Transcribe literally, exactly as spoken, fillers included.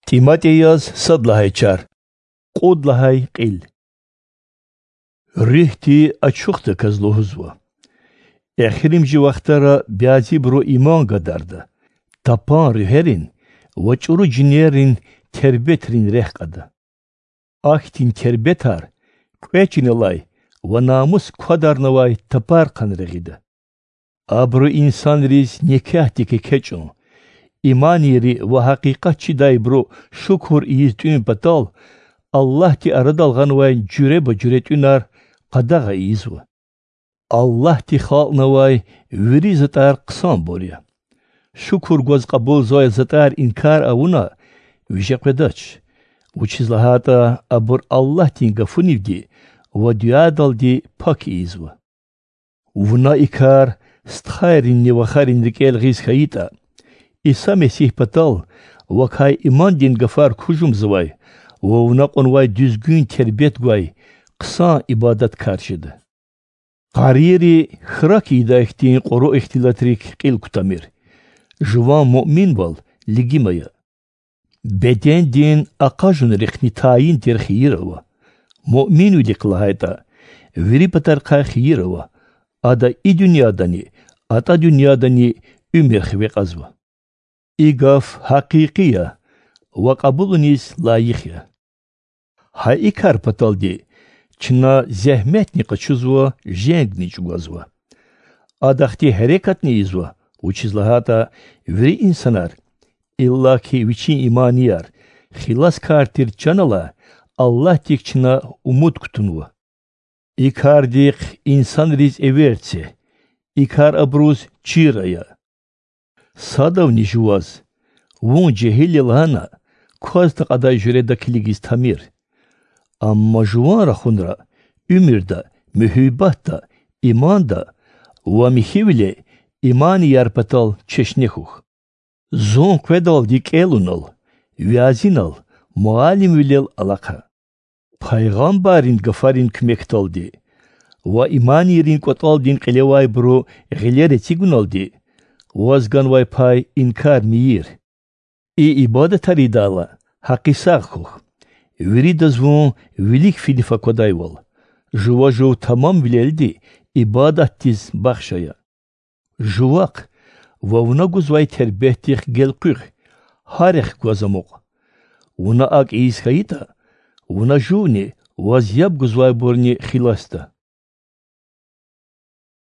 ТӀиматӀи яз сад лагьай чар, кьуд лагьай кьил. Руьгьди ачухдаказ лугьузва: эхиримжи вахтара бязибуру иман гадарда, тапан руьгьерин ва чӀуру жинеррин тербетрин рехъ кьада. Ахьтин тербетар кьве чиналай ва намус квадарнавай тапарихъ регъида. Абуру инсанриз некягьдик экечӀун, иманийри ва гьакъикъат чидайбуру шукур ийиз тӀуьн патал Аллагьди арадал гъанвай жуьреба-жуьре тӀуьнар къадагъа ийизва. Аллагьди халкьнавай вири затӀар хъсанбур я. Шукур гваз кьабулзавай затӀар инкар авуна виже къведач, вучиз лагьайтӀа абур Аллагьдин гафунивди ва дуьадалди пак ийизва. Вуна и кар стхайринни вахарин рикӀел гъиз хьайитӀа, Иса Месигь патал вакай имандин гафар кужумзавай ва вуна кьунвай дуьзгуьн тербет гвай хъсан ибадаткар жеда. Къарийри храк ийидай хьтин кьуру ихтилатрик кьил кутамир. Жуван муъминвал лигим ая. Бедендин акъажунрихъни тайин тир хийир ава. Муъминвилихъ лагьайтӀа, вири патарихъай хийир ава, ада и дуьньядани, атӀа дуьньядани уьмуьр хиве кьазва. И гаф гьакъикъи я ва кьабулуниз лайих я. Гьа и кар паталди чна зегьметни къачузва, женгни чӀугвазва. Адахъди гьерекатни ийизва, вучиз лагьайтӀа вири инсанар, иллаки вичин иманияр, хиласкар тир чан алай Аллагьдик чна умуд кутунва. И кардихъ инсанриз эвер це, и кар абуруз чир ая. Садавни жуваз, вун жегьил я лагьана, кваз такьадай жуьреда килигиз тамир. Амма жуван рахунра, уьмуьрда, муьгьуьббатда, иманда ва михьивиле иманияр патал чешне хьухь. Зун къведалди кӀелунал, вязинал, муаллимвилел алахъа. Пайгъамбаррин гафарин куьмекдалди ва иманийрин кӀватӀалдин кьилевайбуру гъилер эцигуналди ваз ганвай пай инкар мийир. И ибадатар ийидайла, гьакъисагъ хьухь, виридаз вун вилик финиф аквадайвал, жува жув тамамвилелди ибадатдиз бахш ая. Жувахъ ва вуна гузвай тербетдихъ гелкъуьгъ, гьарихъ гваз амукь. Вуна акӀ ийиз хьайитӀа, вуна жувни ваз яб гузвайбурни хиласда.